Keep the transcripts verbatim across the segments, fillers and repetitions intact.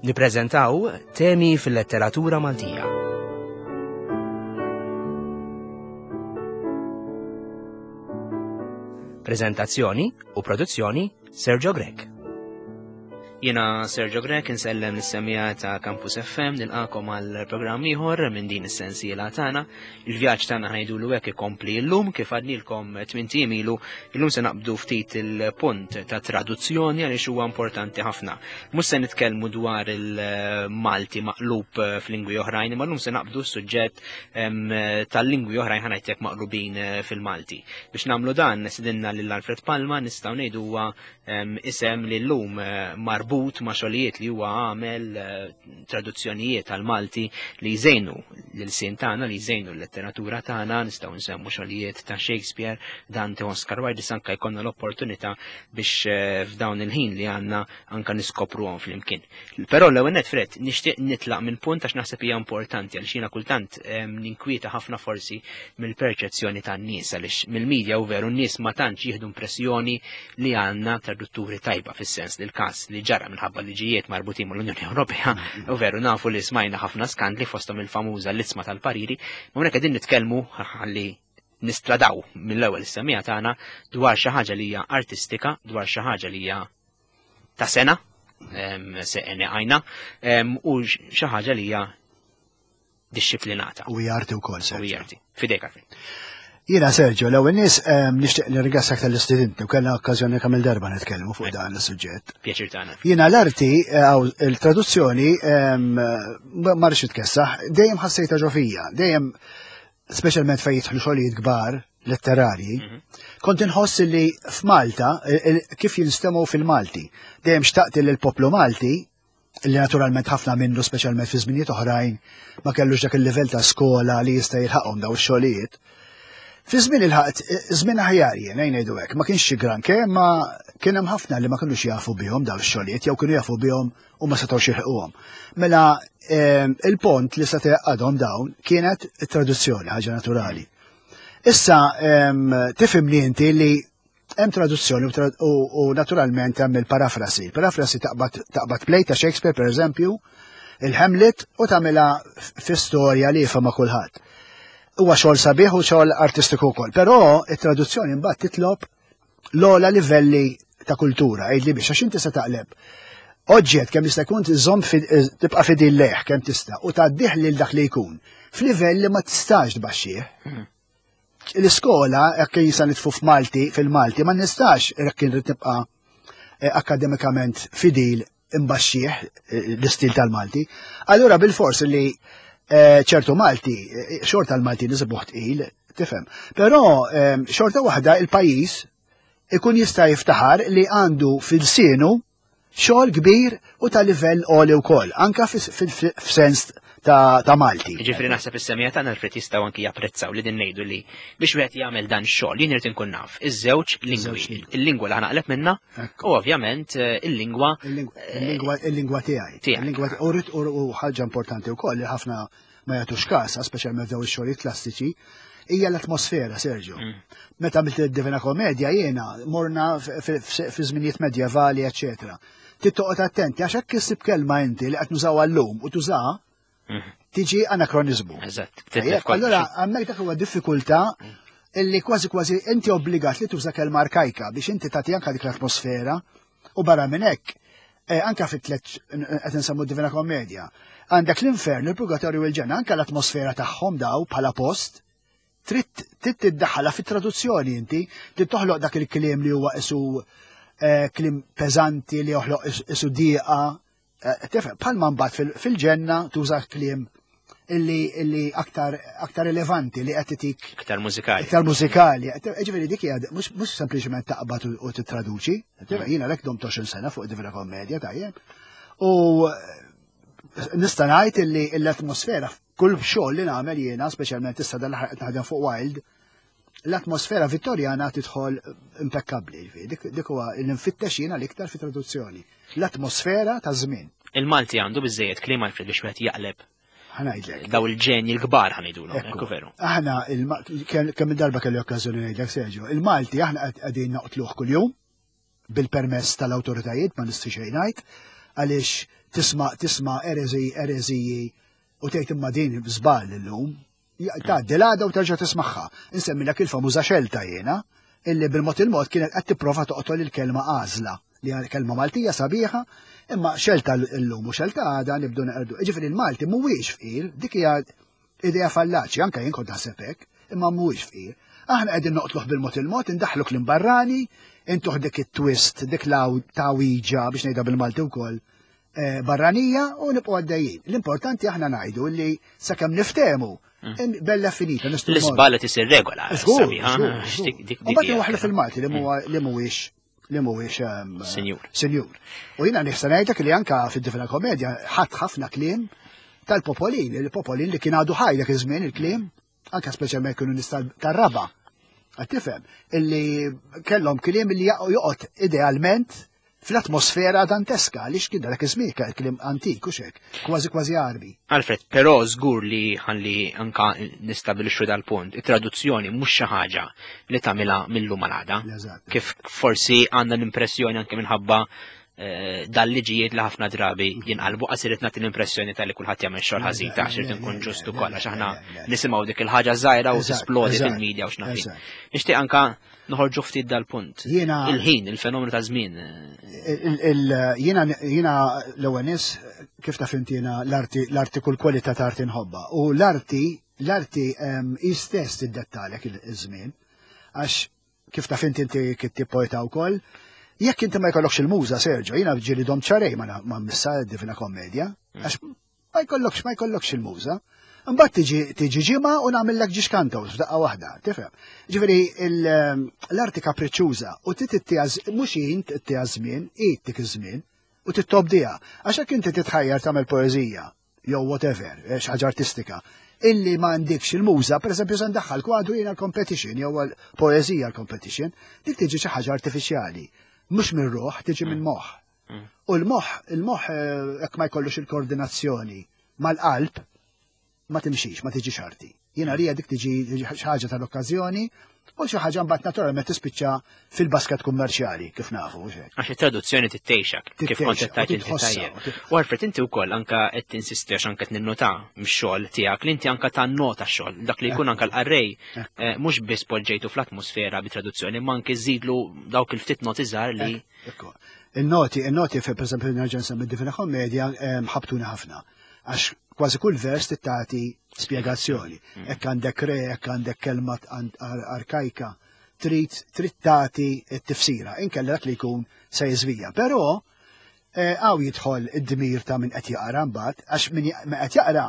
Nippreżentaw temi fil-letteratura Maltija. Prezentazzjoni u produzzjoni Sergio Grech. Jena Sergio Grech insellem lis-semija ta' Campus F M, nilqakom għal programm ieħor minn din is-sensiela tagħna. Il-vjaġġ tagħna ħajdulu hekk ikompli llum kif għadnilkom tmien ijiem ilu. Illum se naqbdu ftit il-punt ta' traduzzjoni għaliex huwa importanti ħafna. Mhux se nitkellmu dwar il-Malti maqlub f'lingwi oħrajn, imma llum se naqbdu s-suġġett, em, tal-lingwi oħrajn ħanajtek maqlubin fil-Malti. Biex nagħmlu dan sidinna lil Alfred Palma, nistgħu ngħidu huwa, em, isem li llum, eh, marbut ma' xogħlijiet li huwa għamel, eh, traduzzjonijiet għal-Malti li jżejnu l-ilsien tagħna, li jżejnu l-letteratura tagħna, nistgħu nsemmu xogħlijiet ta' Shakespeare, Dante, Oscar Wilde, issa anke jkollna l-opportunità biex, eh, f'dawn il-ħin li għandna anke niskopruhom flimkien. Però l-ewwel nett, Fred, nixtieq nitlaq minn punt għax naħseb hija importanti għaliex jiena kultant, ehm, ninkwieta ħafna forsi mill-perċezzjoni tan-nies, għaliex mill-medja u veru n-nies ma tantx jieħdu impressjoni li għandna tradutturi tajba, fis-sens li l-każ li ġara minħabba liġijiet marbutin mal-Unjoni Ewropea, u veru nafu li smajna ħafna skandli fosthom il-famuża l-isma tal-pariri, ma hawnhekk qegħdin nitkellmu ħalli nistradaw mill-ewwel is-semija tagħna dwar xi ħaġa li hija artistika, dwar xi ħaġa li hija ta' sena, em, se għajna, em, u xi ħaġa li hija dixxiplinata. U hija arti wkoll, Sergio. U hija arti. Fidejk, Alfred. Jiena, Sergio, l-ewwel nies, ehm, nixtieq nirringrazzjak tal-istudenti u kellna okkażjoni kemm il-darba nitkellmu fuq dan is-suġġett. Pjaċir tagħna. Jiena l-arti, eh, għaw, il-traduzzjoni, ehm, ma rridx nitkessaħ, dejjem ħassejtha ġo fija, dejjem speċjalment fejn jidħlu xogħlijiet kbar letterarji, Mhm. kont inħoss li f'Malta, il-, il-, kif jinstemgħu fil-Malti, dejjem xtaqt li l-poplu Malti, li naturalment ħafna minnu speċjalment fi żminijiet oħrajn ma kellux dak il-livell ta' skola li jista' jilħaqhom daw ix-xogħlijiet. Fi żmien il-ħadd, żmien aħjar jien, ejn ngħidu hekk, ma kienx xi granché, ma kien hemm ħafna li ma kinux jafu bihom daw ix-xogħlijiet jew kienu jafu bihom u ma setgħux jilħquhom. Mela, ehm, il-pont li seta' jaqgħadhom dawn kienet it-traduzzjoni, ħaġa naturali. Issa, ehm, tifhimni inti li hemm traduzzjoni u tra-, u, u naturalment hemm il-parafrasi. Il-parafrasi taqbad, taqbad play ta' Shakespeare, per eżempju, il-Hamlet, u tagħmilha f-, fi storja li jifhimha kulħadd. Huwa xogħol sabiħ u xogħol artistiku wkoll, però it-traduzzjoni mbagħad titlob l-ogħla livelli ta' kultura, għidli biex għax inti se taqleb. Oġġett kemm jista' jkun tiżomm fi-, tibqa' fidil lejh kemm tista' u tgħaddih lil dak li jkun f'livell li ma tistax tbaxxih. Mhm. L-iskola, jekk jisa nitfu f'Malti, fil-Malti, ma nistax jekk irrid nibqa', eh, akademikament fidil imbaxxih, eh, l-istil tal-Malti. Allura bil-fors li, eh, ċertu Malti, eh, xorta l-Malti nisibuh tqil, tifhem. Però, ehm, xorta waħda il-pajjiż ikun jista' jiftaħar li għandu fil-sienu xogħol kbir u ta' livell għoli wkoll, anka fis-, fil-, f'sens ta', ta' Malti. Ġifieri naħseb is-semija tagħna Alfred jistgħu anki japprezzaw li din ngħidu li biex wieħed jagħmel dan x-xogħol jien irid inkun naf iż-żewġ lingwi, Iż-żewġ lingwi. il-lingwa li ħanaqleb minnha Ekku. u ovvjament, eh, il-lingwa, Il-lingwa, il-lingwa, il-lingwa tiegħi. Tiegħek. Il-lingwa ti-, u rrid, u, u ħaġa importanti wkoll li ħafna ma jagħtux kas, speċjalment dawn ix-xogħlijiet klassiċi, hija l-atmosfera, Sergio. Mm. Meta għamilt id-Divina Komedja jiena morna f-, f-, f-, fi żminijiet medjevali, eċċetera. Trid toqgħod attenti għax hekk issib kelma inti li qed nużawha llum u tużaha, Mm. tiġi anakronizmu. Eżatt, Tajjeb, titlef kollox. allura hemmhekk dak huwa diffikultà illi kważi kważi inti obbligat li tuża kelma arkajka biex inti tagħti anke dik l-atmosfera u barra minn hekk, eh, anke fit-tliet qed insemmu Divina Komedja, għandek l-infern, il-purgatorju u l-ġenna, anke l-atmosfera tagħhom daw bħala post trid, trid tiddaħħalha fit-traduzzjoni inti, trid toħloq dak il-kliem li huwa isu, eh, kliem peżanti li joħloq is-, isu dieqa. Eh, tifhem, bħalma mbagħad fil-, fil-ġenna tuża kliem illi, illi aktar, aktar rilevanti li qed titik Aktar mużikali. Aktar mużikali. Eh, ġifieri dik hija mhux, mhux sempliċement taqbad u, u tittraduċi. Tifhem, jiena lek domt għoxrin sena fuq Divina Komedja, tajjeb. U nista' ngħid illi l-atmosfera f'kull xogħol li nagħmel jiena, speċjalment issa dan l-aħħar qed naħdem fuq Wilde, l-atmosfera vittorjana tidħol impekkabbli, ġifieri. Dik, dik huwa li nfittex jiena l-iktar fi traduzzjoni. L-atmosfera ta' żmien. Il-Malti għandu biżejjed kliem Alfred biex wieħed jaqleb. Ħanajdlek. Daw il-ġenji l-kbar ħanajdulhom, Ekku. ekku veru. Aħna il-Ma-, kemm, kemm il-darba kelli okkażjoni ngħidlek, Sergio, il-Malti aħna qed-, qegħdin noqtluh kuljum bil-permess tal-awtoritajiet, ma nistgħu xejn ngħid, għaliex Tisma' tisma' erezi ereziji u tgħid imma din żball illum. Tgħaddi l-għada u terġa' tismagħha. Insemmilek il-famuża xelta jiena, illi bil-mod il-mod kienet qed tipprova toqtol il-kelma għażla, li hija kelma Maltija sabiħa, imma xelta llum u xelta għada nibdu neqerdu. Ġifieri il-Malti mhuwiex fqir, dik hija idea fallaċi, anke jien kont naħseb hekk, imma mhuwiex fqir. Aħna qegħdin noqtluh bil-mod il-mod, indaħħlu kliem barrani, intuh dik it-twist, dik law tawiġa biex ngħidha bil-Malti wkoll eh, barranija u nibqgħu għaddejjin. L-importanti aħna ngħidu li sakemm niftehmu bella finita. nistgħu mmorru. L-iżball tisir regola. Żgur, sabiħa, żgur, dik- żgur. dik- dik U mbagħad hija waħlu fil-Malti li huwa li mhuwiex li mhuwiex ehm, Sinjur. Sinjur. U jiena nista' ngħidlek li anka fid-Divina Komedja ħadd ħafna kliem tal-popolin, il-popolin li kien għadu ħaj dak iż-żmien il-kliem, anka speċjalment kienu nies tal- tar-raba. Qed tifhem illi kellhom kliem li joqgħod idealment fl-atmosfera danteska, għaliex kien dak iż-żmien kliem antik u xek, kważi kważi Arbi. Alfred, però żgur li ħalli anka nistabilixxu dal-punt, it-traduzzjoni mhux xi ħaġa li tagħmilha mill-lum għal għada. Eżatt. Kif forsi għandna l-impressjoni anke minħabba eh, dal-liġijiet li ħafna drabi jinqalbu qas irid nagħti l-impressjoni tal-li kulħadd jagħmel xogħol ħażin ta' x'irid inkun ġustu kollha għax aħna nisimgħu dik il-ħaġa żgħira u Eżatt, tisplodi eżatt, fil-medja u x'naf jien. eżatt. Nixtieq anka noħorġu ftit dal-punt. Jiena- Il-ħin, il-fenomenu ta' żmien. eh, Il- il- Jiena jiena l-ewwel nies kif taf inti jiena l-arti l-arti kull kwalità ta' arti nħobbha. U l-arti l-arti em, hi stess tiddettalek il-żmien għax kif taf inti inti kittieb poeta wkoll. Jekk inti ma jkollokx il-muża, Sergio, jiena ġieli domt xahrejn ma ma mmissha Divina Komedja, għax ma jkollokx ma jkollokx il-muża. Mbagħad tiġi tiġi ġimgħa u nagħmellek żewġ cantos f'daqqa waħda, tifhem? Ġifieri il- l-arti kapriċċuża u tittiha mhux int tittiha żmien, dik iż-żmien u tittobdiha. Għax jekk inti titħajjar tagħmel poeżija jew whatever, eh, xi ħaġa artistika, illi ma għandikx il-muża, per eżempju, se ndaħħal kwadru jiena l-competition jew l-poeżija l-competition, dik tiġi xi ħaġa artifiċjali. Mhux minn ruħ, tiġi minn moħħ. U l-moħħ, il-moħħ eh, jekk ma jkollux il-koordinazzjoni mal-qalb, ma timxix, ma tiġix arti. Jiena rija dik tiġi tiġi xi ħaġa tal-okkażjoni u xi ħaġa mbagħad naturalment tispiċċa fil-basket kummerċjali kif nafu u xek. Għax it-traduzzjoni tittejxak, kif Tittejxak, kont qed tgħid u inti titħossha, tajjeb. u tit- U Alfred, inti wkoll anka qed tinsisti għax anke qed ninnota mix-xogħol tiegħek li inti anka tannota x-xogħol, dak li jkun anka l-qarrej eh, mhux biss poġġejtu fl-atmosfera bi traduzzjoni, ma anke żidlu dawk il-ftit noti żgħar li Ekku. Il-noti, il-noti fi per esempio nerġa' nsemmi Divina Komedja em, ħabtuni ħafna. Għax kważi kull vers tittati spjegazzjoni. Hekk għandek re, hekk għandek kelma an- ar- arkajka, trid trid tagħti t-tifsira, inkella dak li jkun se jiżvija. Però eh, hawn jidħol id-dmir ta' min qed jaqra mbagħad, għax min min qed jaqra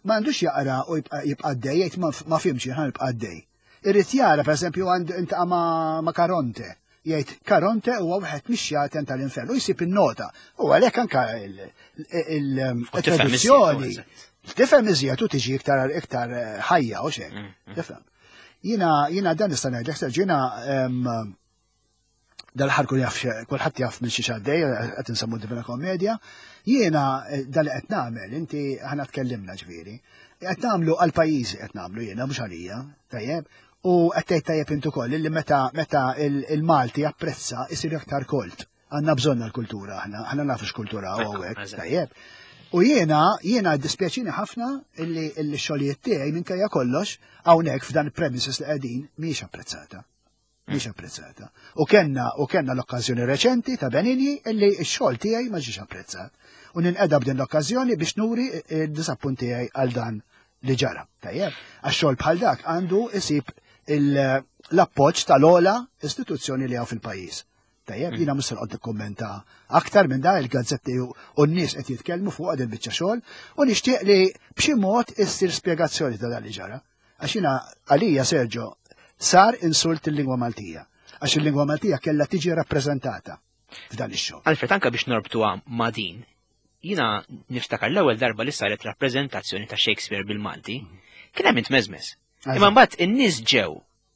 ma għandux jaqra u jibqa' jibqa' għaddej, jgħid ma ma fhimx jien jibqa' għaddej. Irrid jara, per eżempju, għand intaqa' ma' ma' Karonte. Jgħid Karonte huwa wieħed mix-xjaten tal-infern u jsib in-nota. U għalhekk anka U tifhem iżjed, il-traduzzjoni eżatt. tifhem iżjed u tiġi iktar iktar eh, ħajja u xek. Mm, mm. Tifhem. Jiena jiena dan nista' ngħidlek Sergio, jiena em, dal-ħar kull jaf kulħadd jaf minn xi xaddej qed insemmu Divina Komedja. Jiena eh, dal li qed nagħmel, inti aħna tkellimna ġifieri. Qed nagħmlu għal pajjiżi qed nagħmlu jiena mhux għalija, tajjeb. U qed tgħid tajjeb intu koll illi meta meta il- il-Malti japprezza isir aktar kolt. Għandna bżonn l-kultura aħna, aħna nafu x'kultura Ekku, hawnhekk, eżatt. tajjeb. U jiena, jiena dispjaċini ħafna illi illi x-xogħlijiet tiegħi minkejja kollox hawnhekk f'dan il-premises li qegħdin mhijiex apprezzata. Mhijiex apprezzata. U kenna u kenna l-okkażjoni reċenti ta' Benigni illi x-xogħol tiegħi ma ġiex apprezzat. U ninqeda b'din l-okkażjoni biex nuri id-disappunt tiegħi għal dan li ġara. Tajjeb, għax xogħol bħal dak għandu isib il- l-appoġġ tal-ogħla istituzzjoni li hawn fil-pajjiż. Tajjeb, jiena mhux se noqgħod nikkummenta aktar minn da il-gazzetti u u n-nies qed jitkellmu fuq din biċċa xogħol u nixtieq li b'xi mod issir spjegazzjoni ta' dan li ġara. Għax jiena għalija Sergio sar insult il-lingwa Maltija. Għax il-lingwa Maltija kellha tiġi rappreżentata f'dan ix-xogħol. Alfred, anka biex norbtuha ma' din, jina niftakar l-ewwel darba li saret rappreżentazzjoni ta' Shakespeare bil-Malti, kien hemm intmeżmes. Imma mbagħad in-nies ġew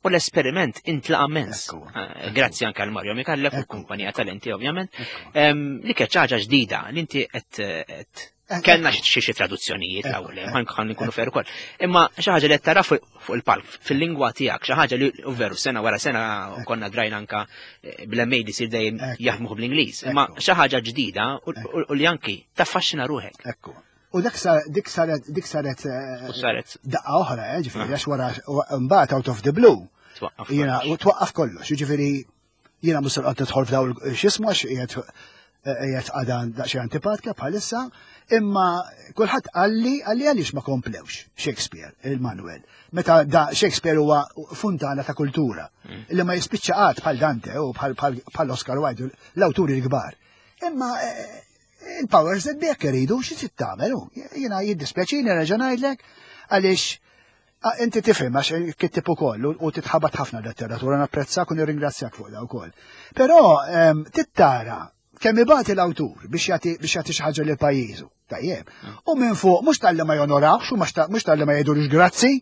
u l-esperiment intlaqa mens. Ekku, Eh, Grazzi anke għal Mario Micallef u Ekku. kumpanija Talenti ovvjament. Ekku. Em, Li kienet xi ħaġa ġdida li inti qed qed Eh, Kellna xi xi traduzzjonijiet l-ewwel, ħa nkunu fair ukoll. Imma xi ħaġa li tara fuq il-palk, fil-lingwa tiegħek, xi ħaġa li veru sena wara sena konna drajna anka eh, bl-M A sir dejjem jaħdmu bl-Ingliż. Imma xi ħaġa ġdida u li anki taffaxxina ruħek. Ekku. U dak dik saret dik saret eh, saret daqqa oħra, eh, ġifieri għax wara mbagħad out of the blue. Jiena twaqqaf kollox, ġifieri jiena mhux se tidħol f'daw x'ismu għax qiegħed qiegħed għada daqsxejn antipatika bħalissa, imma kulħadd qalli qalli għaliex ma komplewx Shakespeare, il-Manuel. Meta da Shakespeare huwa funtana ta' kultura mm. li ma jispiċċa qatt bħal Dante u bħal Oscar Wilde, l-awturi l-kbar. Imma eh, il-powers that be iridu xi trid tagħmel. Jiena jiddispjaċini nerġa' ngħidlek għaliex inti tifhem għax kittib ukoll u titħabat ħafna letteratura, napprezzak u nirringrazzjak fuq da wkoll. Però tittara kemm ibati l-awtur biex jagħti biex jagħti xi ħaġa lil pajjiżu. Tajjeb. U minn fuq mhux talli ma jonorawx u mhux talli ma jgħidulux grazzi,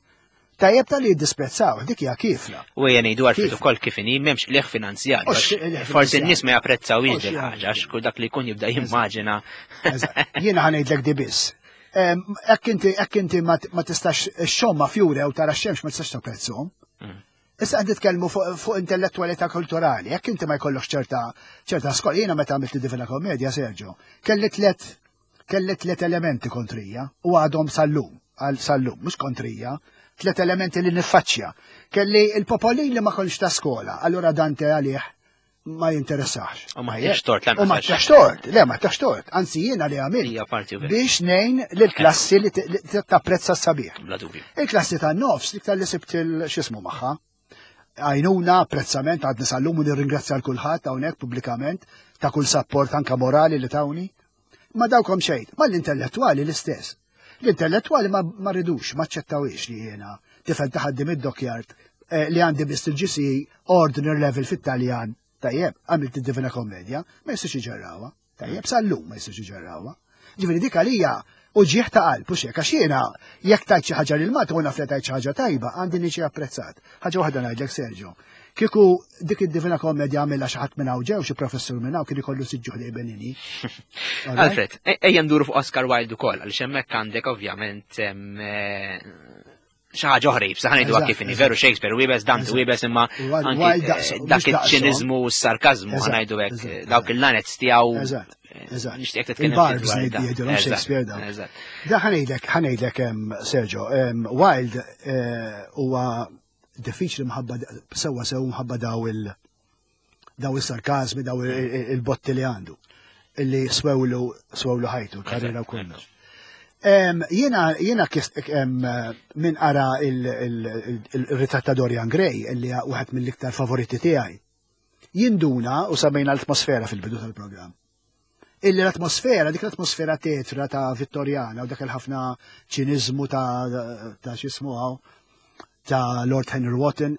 tajjeb talli jiddisprezzaw, dik hija kifra. U ejja ngħidu għarfet ukoll kif inhi m'hemmx qligħ finanzjarju. Forsi n-nies ma japprezzawx il ħaġa għax kull dak li jkun jibda jimmaġina. Jiena ħa ngħidlek di biss. Hekk inti hekk inti ma tistax xomma fjura u tara x-xemx ma tistax tapprezzhom. Mm. Issa qed nitkellmu fuq intellettualità kulturali, jekk inti ma jkollokx ċerta ċerta skola, jiena meta għamilt Divina Komedja, Sergio, kelli tlet kelli tlet elementi kontrija u għadhom sal-lum, għal sal-lum, mhux kontrija, tlet elementi li niffaċċja. Kelli il-popolin li ma kontx ta' skola, allura Dante għalih ma jinteressax. U ma tantx tort, U ma tantx tort, le ma tantx tort, anzi jiena li għamilt. Biex ngħin lill-klassi li tapprezza s-sabiħ. Bla dubju. Il-klassi tan-nofs, li li sibt il-xismu magħha, għajnuna, apprezzament, għadni sal-lum u nirringrazzja l-kulħadd hawnhekk pubblikament ta' kull support anka morali li tawni. Ma dawkom xejn, ma l-intellettuali l-istess. L-intellettuali ma, ma ridux, ma ċettawix li jiena tifel ta' ħaddiem id-dockyard eh, li għandi biss il-G C E ordinary level fit-Taljan. Tajjeb, għamilt id-Divina Komedja, ma jistax iġarrawha. Tajjeb, sal-lum ma jistax iġarrawha. Ġifieri dik għalija uġigħ ta' qalb, u xek, għax jiena jekk tajt xi ħaġa lil Malta u naf li tajt xi ħaġa tajba, għandi niġi apprezzat. Ħaġa waħda ngħidlek, Sergio. Kieku dik id-Divina Komedja għamilha xi ħadd minn hawn ġew, xi professur minn hawn, kien ikollu siġġu ħdej Benini. Alfred, e- ejja nduru fuq Oscar Wilde ukoll, għaliex hemmhekk għandek ovvjament em, eh, xi ħaġa oħra jibsa ħa ngħidu Eżatt, kif inhi, veru Shakespeare wiebes, Dante Eżatt. wiebes, imma Wilde anki daqs- eh, mhux dak daqshom. iċ-ċiniżmu u s-sarkazmu Eżatt, ħa ngħidu hekk, eżatt, dawk il-lanets tiegħu. Eżatt, eżatt. Nixtieq titkellem Il-barbs ftit dwar dan. jgħidulhom Eżatt, Shakespeare dawn. Eżatt. Da ħa ngħidlek, ħa ngħidlek, em, Sergio, em, Wilde eh, huwa diffiċli mħabba sewwa sew mħabba daw il daw il-sarkazmi, daw il- il- il-botti li għandu, illi swewlu swewlu ħajtu, l-karriera u kollox. Em, Jiena jiena kis- em, min qara il-ritratt ta' Dorian Gray, illi wieħed mill-iktar favoriti tiegħi, jinduna u semmejna l-atmosfera fil-bidu tal-programm. Illi l-atmosfera, dik l-atmosfera tetra ta' Vittorjana u dak il-ħafna ċinizmu ta' ta' x'ismu hawn, ta' Lord Henry Wotton,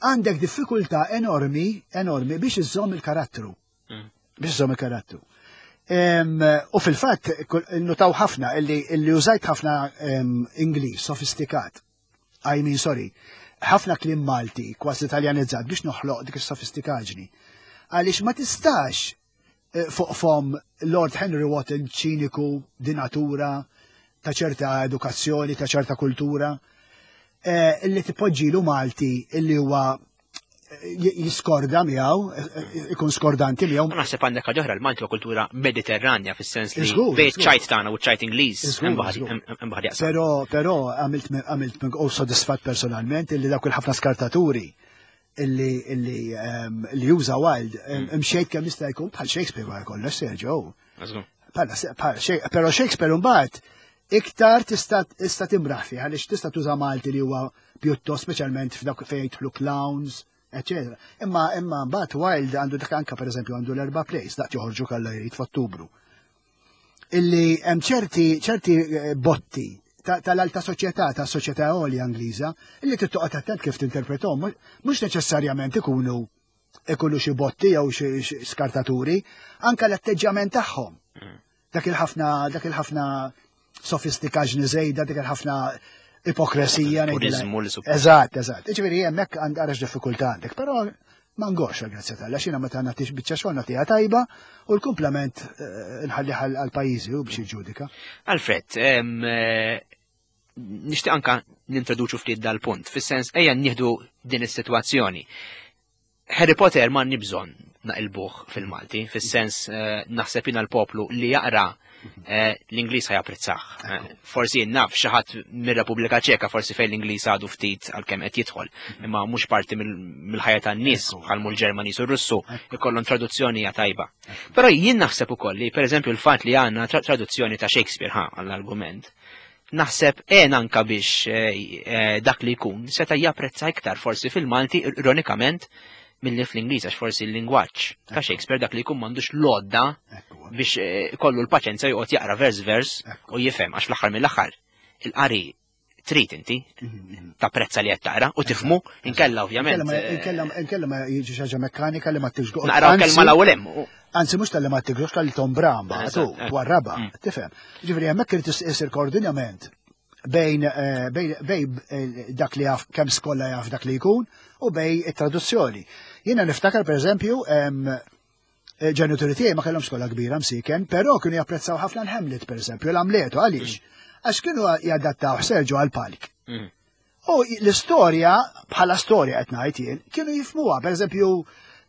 għandek diffikultà enormi, enormi biex iżżomm il-karattru. Mm. Biex iżżomm il-karattru. Em, U fil-fatt, kull- notaw ħafna illi, illi użajt ħafna em, Ingliż sofistikat. I mean, sorry, ħafna kliem Malti, kważi italjanizzat biex noħloq dik is-sofistikaġni. Għaliex ma tistax eh, fuq fom Lord Henry Wotton ċiniku di natura, ta' ċerta edukazzjoni, ta' ċerta kultura, eh, illi tipoġġilu Malti illi huwa eh, jiskorda miegħu, eh, eh, ikun skordanti miegħu. Ma naħseb għandek ħaġa oħra, l-Malti huwa kultura mediterranja fis-sens li Żgur, bejn żgur. ċajt tagħna u ċajt Ingliż Żgur, hemm baħar żgur. hemm baħar jaqsam. Però, però għamilt għamilt minn- u sodisfat personalment illi dawk il-ħafna skartaturi illi illi em, li juża Wilde em, imxejt kemm jista' jkun bħal Shakespeare wara kollox, Sergio. Żgur. Bħala se- bħal Shak- Però Shakespeare mbagħad iktar tista' tista' timraħ fih għaliex tista' tuża Malti li huwa pjuttost speċjalment f'dawk fejn jidħlu clowns, eċetera. Imma imma mbagħad Wilde għandu dak anka pereżempju għandu l-erba' plays daqt joħorġu kalla jrid f'Ottubru. Illi hemm ċerti ċerti eh, botti ta- tal-alta soċjetà, ta' soċjetà għolja Ingliża, illi trid toqgħod attent kif tinterpretom, mhux neċessarjament ikunu ikunu xi botti jew xi xi skartaturi, anka l-atteġġjament tagħhom. Dak il-ħafna dak il-ħafna sofistikaġni żejda, dak il-ħafna ipokresija. ngħidilha. Purizmu li suppost. Eżatt, eżatt. Ġifieri hemmhekk għand għarax diffikultà għandek, però Ma ngorx grazzi t'Alla, xina meta nagħtix biċċa xogħol nagħtiha tajba u l-kumplament eh, nħalli għal pajjiżi u biex jiġġudika. Alfred, eh, nixtieq anka nintroduċu ftit dal-punt, fis-sens ejja nieħdu din is-sitwazzjoni. Harry Potter ma bżonn naqilbuh fil-Malti, fis-sens eh, naħseb jiena l-poplu li jaqra eh, l-Ingliż ħa japprezzah. Eh, forsi naf xi ħadd mir-Repubblika Ċeka, forsi fejn l-Ingliż għadu ftit għalkemm qed jidħol, imma mhux parti mill-ħajja tan-nies bħal mul Ġermaniż u Russu, ikollhom traduzzjoni hija tajba. Però jien naħseb ukoll li pereżempju l-fatt li għandna traduzzjoni ta' Shakespeare ħa għall-argument, naħseb en anka biex dak li jkun seta' japprezza iktar forsi fil-Malti ironikament milli fl-Ingliż, għax forsi l-lingwaġġ ta' Shakespeare dak li jkun m'għandux l-għodda biex eh, kollu l-paċenza joqgħod jaqra vers vers u jifhem, għax fl-aħħar mill-aħħar il-qari trid inti mhm, mhm. tapprezza li qed taqra u tifhmu, inkella ovvjament. Eh, inkella ma jiġi xi ħaġa mekkanika li ma tiġgoq. Naqraw kelma l-ewwel hemm. Anzi mhux tal-li ma tiġgox tal-li tombra mbagħad twarraba, mm. tifhem. Ġifieri hemmhekk irid isir koordinament bejn eh, bejn bejn eh, dak li jaf kemm skola jaf dak li jkun u bejn it-traduzzjoni. Jiena niftakar pereżempju eh, ġenituri tiegħi ma kellhom skola kbira msiken, però kienu japprezzaw ħafna l-Hamlet pereżempju, l-Amletu għaliex? Mm. Għax kienu jadattaw Sergio għal-palk. Mm. U l-istorja, bħala storja qed ngħid jien, kienu jifmuha, pereżempju,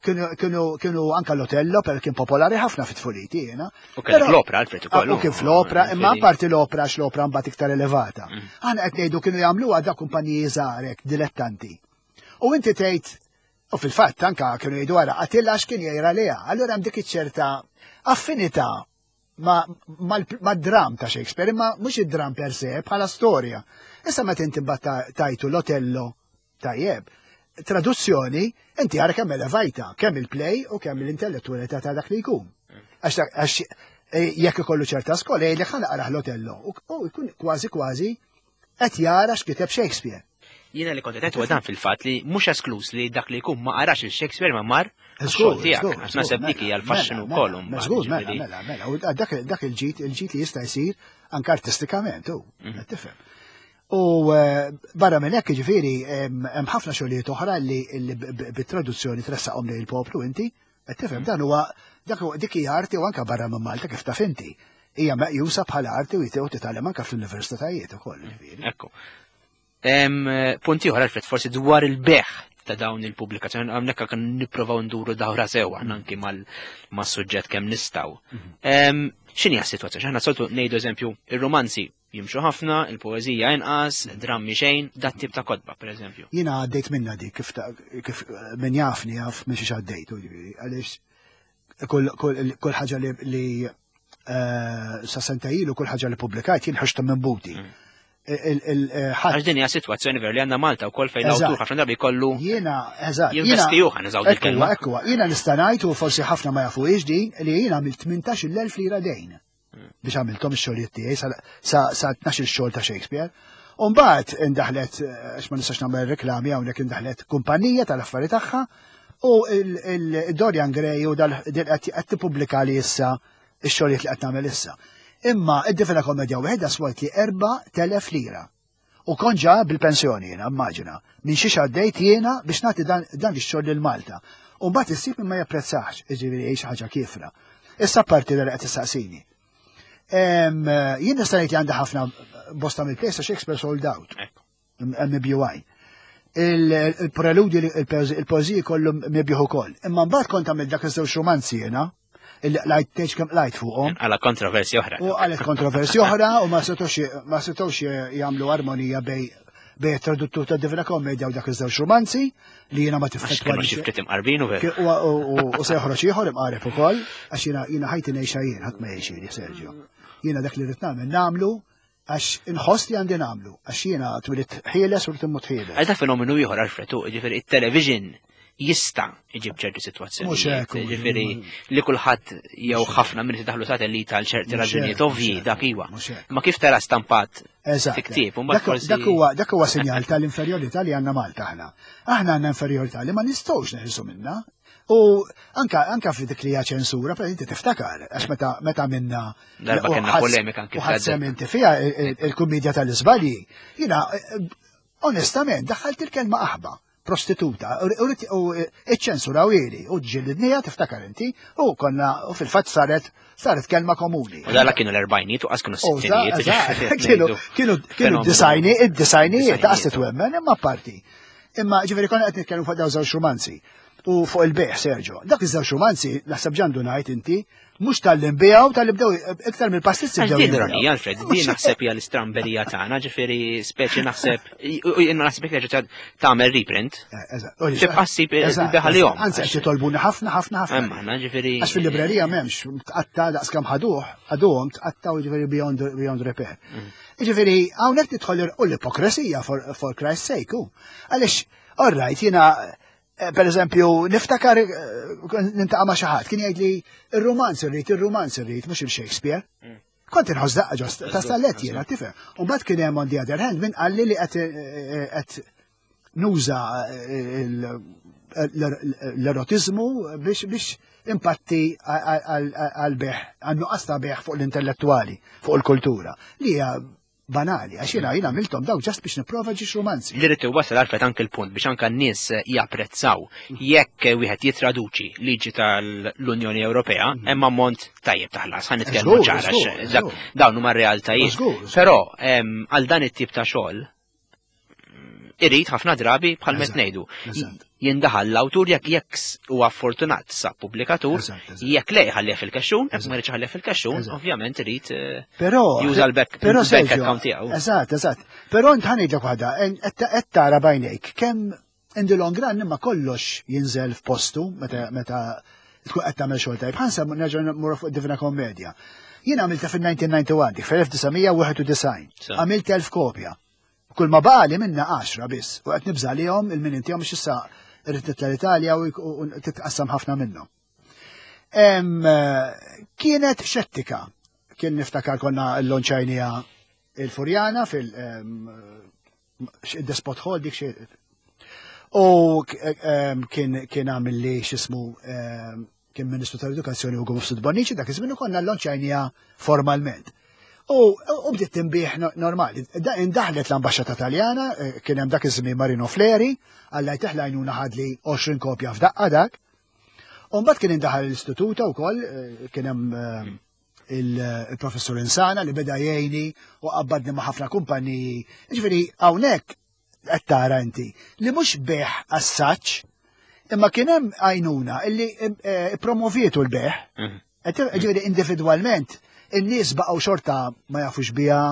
kienu kienu anka l-Otello, per kien popolari ħafna fit-tfuliti jiena. U kien fl-opra, Alfred ukoll. U kien fl-opra, imma apparti l-opra għax l-opra mbagħad iktar elevata. Mm. Aħna qed ngħidu kienu jagħmluha da kumpaniji żgħarek, dilettanti. U inti tgħid, u fil-fatt anka kienu jgħidu għara Attila għax kien jgħira liha. Allura hemm dik iċ-ċerta affinità ma' dram ta' Shakespeare, imma mhux id-dram per se, bħala storja. Issa meta inti mbagħad tajtu l-Otello tajjeb, traduzzjoni, inti għara kemm elevajta, kemm il-play u kemm l-intellettualità ta' dak li jkun. Għax eh, jekk ikollu ċerta skola, jgħidlek ħa naqrah l-Otello u jkun kważi kważi qed jara x'kiteb Shakespeare. Jiena li kont qed huwa dan fil-fatt li mhux esklus li dak li jkun ma qarax il-Shakespeare ma mar xogħol tiegħek, għax naħseb dik hija l-faxxinu wkoll. Żgur, mela, mela, mela, u dak dak il-ġid, il-ġid li jista' jsir anke artistikament, u mhm. tifhem. U eh, barra minn hekk jiġifieri hemm ħafna xogħlijiet oħra li bit-traduzzjoni tressaqhom lejn il-poplu inti, qed tifhem dan huwa dak dik hija arti u anke barra minn Malta kif taf inti. Hija meqjusa bħala arti u jitew titgħallem anke fl-universitajiet ukoll jiġifieri. Ekku. Punt ieħor Alfred, forsi dwar il-beħ ta' dawn il-pubblikazzjoni, hawnhekk kan nipprovaw nduru dawra sewa anki mas-suġġett kemm nistgħu. Mhm. X'inhi s-sitwazzjoni? Aħna soltu ngħidu eżempju ir-romanzi jimxu ħafna, il-poeżija inqas, drammi xejn, dat tip ta' kotba, pereżempju. Jiena għaddejt minna dik kif kif min jafni jaf minn xiex għaddejt, għaliex kull ħaġa li eh, sa senta ilu kull ħaġa li pubblikajt jien ħoxta minn buti. Mm. Għax din hija sitwazzjoni veru li għandna Malta wkoll fejn l-awtur ħafna drabi kollu. Jiena, eżatt. Jinvesti ħa nużaw dik kelma. Ekku, jiena nista' ngħid u forsi ħafna ma jafuhiex din li jiena għamilt tmintax-il elf lira dejn biex għamilthom ix-xogħlijiet tiegħi sa tnax-il xogħol ta' Shakespeare. U mbagħad indaħlet, għax ma nistax nagħmel reklami hawnhekk, indaħlet kumpanija tal-affari tagħha u il-Dorian Gray u dal qed tippubblika li issa ix-xogħlijiet li qed nagħmel issa. Imma id-Divina Komedja waħedha swalt li erba' telef lira. U kont ġa bil-pensjoni jiena, immaġina, minn xiex għaddejt jiena biex nagħti dan, dan ix-xogħol lil Malta. U mbagħad issib min ma japprezzax, jiġifieri xi ħaġa kiefra. Issa parti li qed tistaqsini. Jien nista' ngħid li għandha ħafna bosta mill-plejs Shakespeare sold out. M B U I. Il-preludi, il-poeziji kollu mibjuħ ukoll. Imma mbagħad kont għamilt dak iż-żewġ romanzi jiena, illi qlajt tgħidx kemm qlajt fuqhom. Għala kontroversji oħra. U għalet kontroversji oħra u ma setgħux ma setgħux jagħmlu armonija bej bej traduttur ta' Divina Commedia u dak iż-żewġ romanzi li jiena ma tifħet. Kienu xi ftit imqarbin u veru. U se joħroġ ieħor imqareb ukoll għax jiena jiena ħajti ngħixha jien, ħadd ma jgħixili Sergio. Jiena dak li rrid nagħmel nagħmlu għax inħoss li għandi nagħmlu, għax jiena twilit ħieles u rrid immut ħieles. Għal dak fenomenu ieħor Alfred, jiġifieri it-television jista' iġib ċerti sitwazzjonijiet. Ġifieri li kulħadd jew ħafna minn daħlu satellita għal ċerti raġunijiet ovvji dak iwa. Ma kif tara stampat fi ktieb, Dak huwa dak huwa sinjal tal-inferjorità li għandna Malta aħna. Aħna għandna inferjorità li ma nistgħux neħilsu minna. U anka anka fi dik li hija ċensura, per inti tiftakar, għax meta meta minna darba kellna polemika anke u ħadd inti fiha il-kumedja tal-iżbalji, jiena onestament daħħalt il-kelma aħba. Prostituta. U iċ-ċensura ili, u ġillidnija tiftakar inti, u konna, u fil-fatt saret saret kelma komuni. U dala kienu l-erbajniet u qas kienu s-sittinijiet. Kienu kienu kienu disajni, id-disajnijiet, ta' twemmen, imma parti. Imma ġifieri konna qed nitkellmu fuq dawn żewġ romanzi. U fuq il-bejgħ, Sergio. Dak iż-żewġ romanzi, naħseb ġandu ngħid inti, mhux tal-li nbiegħu, tal-li bdew iktar mill-pastizzi bdew. Din ironija, Alfred, din naħseb hija l-istramberija tagħna, ġifieri speċi naħseb, jiena naħseb jekk terġa' tagħmel reprint. Tibqa' ssib il-beħalihom. Anzi qed jitolbuni ħafna ħafna ħafna. Imma aħna ġifieri. Għax fil-librerija m'hemmx tqatta' daqs kemm ħaduh, ħaduhom tqattgħu ġifieri beyond beyond repair. Ġifieri hawnhekk tidħol u l-ipokresija for Christ's sake. Għaliex, all right, jiena per eżempju, niftakar nintaqa' ma' xi ħadd kien jgħid li ir-romanz irrid, ir-romanz irrid, mhux il-Shakespeare. Kont inħoss daqqa ġost ta' stallet jiena, tifhem. U mbagħad kien hemm on the other hand min qalli li qed nuża l-erotiżmu biex biex impatti għal-bejgħ, għan-nuqqas ta' bejgħ fuq l-intellettuali, fuq il-kultura, li hija banali, għax jiena jiena għamilthom daw just biex nipprova ġiex romanzi. Li rrid wasal għalfet anke l-punt biex anke n-nies japprezzaw jekk wieħed jitraduċi liġi tal-Unjoni Ewropea, hemm ammont tajjeb taħlas, ħa nitkellmu ċara dawn huma r-realtajiet. Però għal dan it-tip ta' xogħol irrid ħafna drabi bħal met ngħidu. Jindaħal l-awtur jekk jekk huwa fortunat sa pubblikatur, jekk le jħallih fil-kaxxun, jekk ma jridx ħallih fil-kaxxun, ovvjament irid juża l-back account tiegħu. Eżatt, eżatt. Però int ħanejdlek waħda, qed tara bajnejk kemm in the long run imma kollox jinżel f'postu meta meta tkun qed tagħmel xogħol tajjeb. Ħansa nerġa' mmur fuq Divina Kommedja. Jien għamilta fil-elf disa' mija wieħed u disgħin, fil-elf disa' mija wieħed u disgħin. Għamilt elf kopja. Kull ma baqali minna għaxra biss, u qed nibża' lihom il-min intihom biex issa irrid nitla' l-Italja u titqassam ħafna minnhom. Kienet xettika. Kien niftakar konna l-lonċajnija il-Furjana fil- Despot Hall dik xi. U kien kien għamil li x'ismu kien Ministru tal-Edukazzjoni Ugo Mifsud Bonnici, dak iż-żmien konna l-lonċajnija formalment. U bdiet tinbih normali. Indaħlet l-ambaxxata Taljana, kien hemm dak iż-żmien Marino Fleri, Alla jtih l-għajnuna ħadli għoxrin kopja f'daqqa dak. U mbagħad kien indaħal l-istituta wkoll, kien hemm il-professur Insana li beda jgħinni u qabbadni ma' ħafna kumpaniji. Ġifieri hawnhekk qed tara inti li mhux bejgħ assaġġ, imma kien hemm għajnuna illi promovietu l-bejgħ. Ġifieri individwalment in-nies baqgħu xorta ma jafux biha,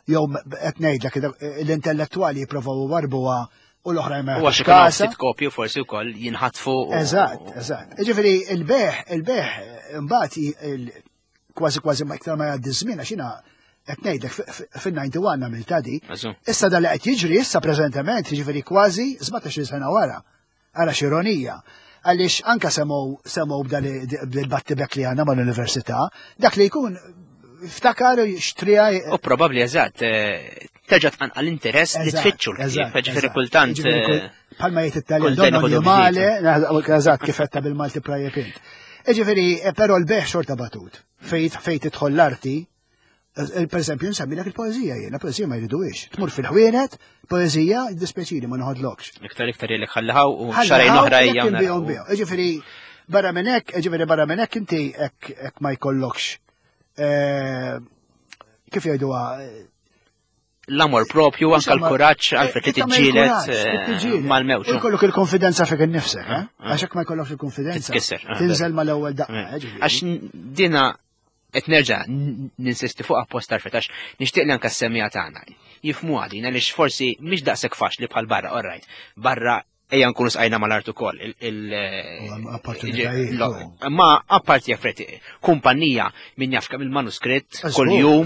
jew qed ngħidlek l-intellettwali jippruvaw warbuha u l-oħrajn ma jafux kasa. Ftit kopju forsi wkoll jinħatfu. Eżatt, eżatt. Ġifieri il-bejgħ, il-bejgħ imbagħad kważi kważi ma iktar ma jgħaddi żmien għax jiena qed ngħidlek fin-ninety one għamilta di. Issa dan li qed jiġri issa preżentement, jiġifieri kważi sbatax-il sena wara. Ara x'ironija. Għaliex anka semgħu semgħu b'dal-battibek li għandna mal-università, dak li jkun ftakar xtrija. U probabbli eżatt, terġa' tqanqal interess li tfittxu l-ktieb, ġifieri kultant. Bħalma jgħid it-Taljan, don male, eżatt kif qed bil-Malti prajjeb int. Ġifieri, però l-bejgħ xorta batut. Fejn tidħol l-arti, per eżempju, nsemmilek il-poeżija jiena, poeżija ma jriduhiex. Tmur fil-ħwienet, poeżija, dispjaċini ma noħodlokx. Iktar iktar jgħidlek ħalliħaw u xarajn oħra hija. Ġifieri, barra minn hekk, ġifieri barra minn hekk inti hekk ma jkollokx. Kif jgħiduha? L-amor propju, anka l-kuraġġ għalfejn li tiġġieled mal-mewġ. Ikollok il-konfidenza fik innifsek, għax hekk ma jkollokx il-konfidenza. Titkisser. Tinżel mal-ewwel daqqa. Għax dina qed nerġa' ninsisti fuq apposta għalfejn għax nixtieq li anke s-semmiegħa tagħna jifhmuha din għaliex forsi mhix daqshekk faċli bħal barra, all right. Barra ejja nkunu sqajna mal-art ukoll. Ma apparti affarijiet, kumpanija min jaf kemm il-manuskritt kuljum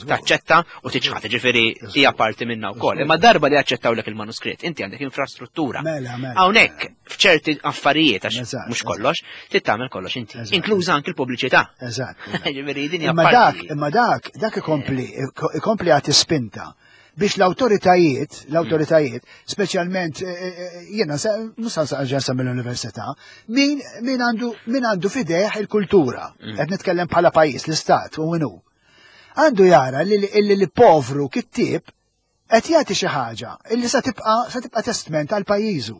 taċċetta u tiċħad, ġifieri hija parti minnha wkoll. Imma darba li aċċettawlek il-manuskritt, inti għandek infrastruttura. Hawnhekk f'ċerti affarijiet għax mhux kollox, trid tagħmel kollox inti, inkluża anke l-pubbliċità. Eżatt. Ġifieri din hija parti. Imma dak, dak ikompli, ikompli għati spinta biex l-autoritajiet, l-autoritajiet, speċjalment jiena mhux sa mill-università, min min għandu min għandu fideh il-kultura, qed nitkellem bħala pajjiż, l-istat u minnu. Għandu jara li li povru kittieb Qed jagħti xi ħaġa illi sa tibqa' sa tibqa' testment għal pajjiżu.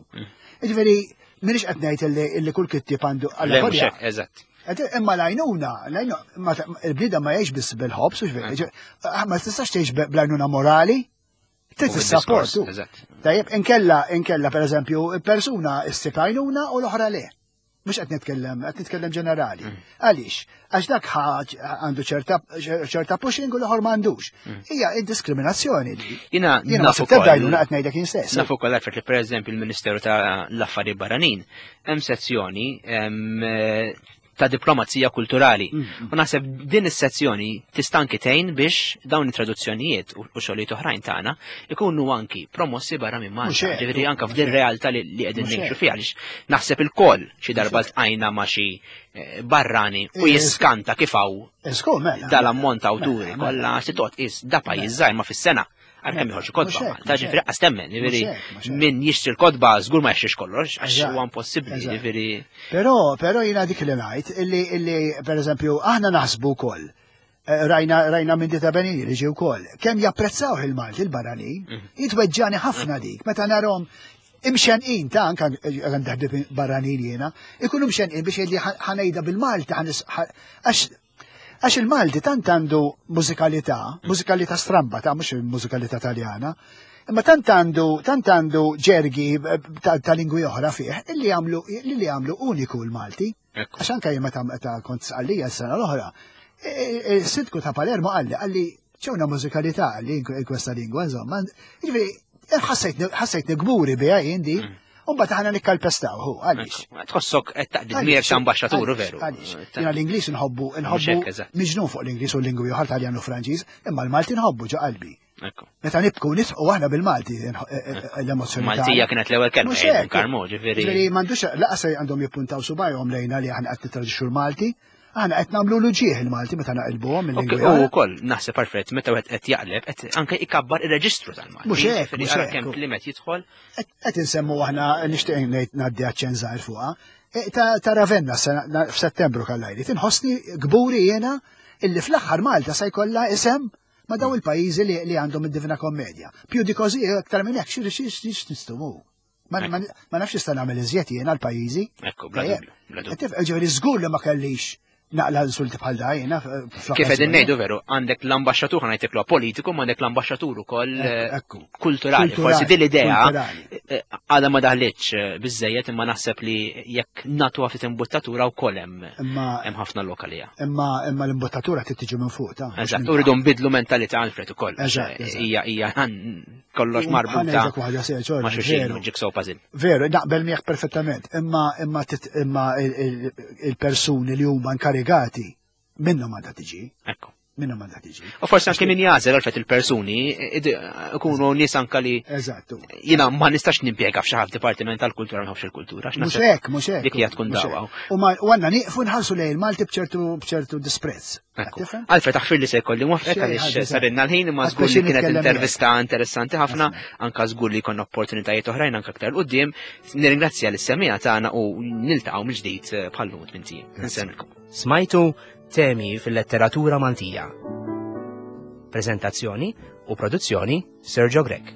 Jiġifieri m'iniex qed ngħid illi kull kittieb għandu għal Eżatt. Imma l-għajnuna, il-bniedem ma jgħix biss bil-ħobż, ma tistax tgħix bl-għajnuna morali, trid is-support. Tajjeb, inkella, inkella pereżempju, persuna issib għajnuna u l-oħra le. Mhux qed nitkellem, qed nitkellem ġenerali. Għaliex? Għax dak għandu ċerta pushing u l-oħor m'għandux. Hija id-diskriminazzjoni li. Jiena nafu ukoll. Għajnuna qed ngħidlek jien stess. Nafu ukoll għalfejn li pereżempju l-Ministeru ta' l-Affarijiet Barranin hemm sezzjoni ta' diplomazija kulturali. U naħseb din is-sezzjoni tista' anki tgħin biex dawn it-traduzzjonijiet u xogħlijiet oħrajn tagħna ikunu anki promossi barra minn Malta. Ġifieri anke f'din realtà li qegħdin ngħixu fiha għaliex naħseb ilkoll xi darba ltqajna ma' xi barrani u jiskanta kif hawn dal-ammont ta' awturi kollha se toqgħod qis da pajjiż żgħir ma fis-sena. Għalkemm joħorġu kotba Malta, ġifieri qas temmen, ġifieri min jixtri l-kotba żgur ma jixtrix kollox, għax huwa impossibbli, ġifieri. Però, però jiena dik li ngħid, illi, illi pereżempju aħna naħsbu wkoll, rajna, rajna minn Dita Benini li ġie wkoll, kemm japprezzaw il-Malti il-barranin, jitweġġani ħafna dik, meta narhom imxenqin ta' anka għand ħbieb barranin jiena, ikunu mxenqin biex jgħidli ħanejda bil-Malti, għax Għax il-Malti tant għandu mużikalità, mużikalità stramba ta' mhux mużikalità Taljana, imma tant għandu tant għandu ġergi ta' lingwi oħra fih illi jagħmlu li jagħmlu uniku l-Malti. Għax anke jien meta kont sqallija s-sena l-oħra, il-sindku ta' Palermo qalli qalli c'è una mużikalità li in questa lingua, insomma. Jiġifieri ħassejtni kburi biha jien di. Umbat aħna nikkalpestaw, hu, għaliex. Tħossok qed taqdi dmir ta' ambaxxatur, veru. Għaliex. Jiena l-Ingliż nħobbu, nħobbu miġnun fuq l-Ingliż u l-lingwi oħra Taljan u Franċiż, imma l-Malti nħobbu ġo qalbi. Meta nibku nitqu aħna bil-Malti l-emozzjoni. Maltija kienet l-ewwel kelma, Karmo, ġifieri. Ġifieri m'għandux laqas għandhom jippuntaw subajhom lejna li aħna qed nittraġixxu l-Malti. Aħna qed nagħmlu l-ġieħ il-Malti meta naqilbuhom il-lingwi. U wkoll naħseb perfett meta wieħed qed jaqleb qed anke ikabbar ir-reġistru tal-Malti. Mhux hekk, mhux hekk. Kemm kliem qed jidħol. Qed insemmu aħna nixtieq ngħid ngħaddi aċċenn żgħir fuqha. Ta' Ravenna f'Settembru kellajli. Tinħossni kburi jiena illi fl-aħħar Malta se jkollha isem ma' daw il-pajjiżi li għandhom id-Divina Kommedja. Più di così aktar minn hekk xi x'nistumu. Ma nafx nista' nagħmel iżjed jiena l-pajjiżi. Ekku, bla dubju. Ġifieri żgur li ma kellix naqla insulti bħal da jiena. Kif qegħdin ngħidu veru, għandek l-ambaxxatur ħa ngħidlek politiku, ma għandek l-ambaxxatur ukoll kulturali. Forsi din l-idea għadha ma daħlitx biżejjed, imma naħseb li jekk nagħtuha ftit imbuttatura wkoll hemm hemm ħafna lokalija. Imma imma l-imbuttatura trid tiġi minn fuq ta'. Eżatt, u rridu nbidlu mentalità Alfred ukoll. Hija hija kollox marbuta ma' xulxin, jigsaw puzzle. Veru, naqbel miegħek perfettament, imma imma imma il-persuni li huma inkarigati minnhom għandha tiġi. Ekku. Minnhom għandha tiġi. U forsi anke min jagħżel għalfejn il-persuni ikunu nies anke li Eżattu. Jiena ma nistax nimpjega f'xi ħadd dipartiment tal-kultura ma nħobbx il-kultura. Mhux hekk, mhux hekk. Dik hija tkun dawwa. U għandna nieqfu nħarsu lejn il-Malti b'ċertu b'ċertu disprezz. Alfred, aħfir li se jkolli mwafqek għaliex sarinna l-ħin, imma żgur li kienet intervista interessanti ħafna, anke żgur li jkollna opportunitajiet oħrajn anke aktar 'l quddiem. Nirringrazzja lis-semmiegħa tagħna u niltaqgħu mill-ġdid bħal-lum tmien ijiem. Insellmilkom. Smajtu temi fil-letteratura Maltija. Prezentazzjoni u produzzjoni Sergio Grech.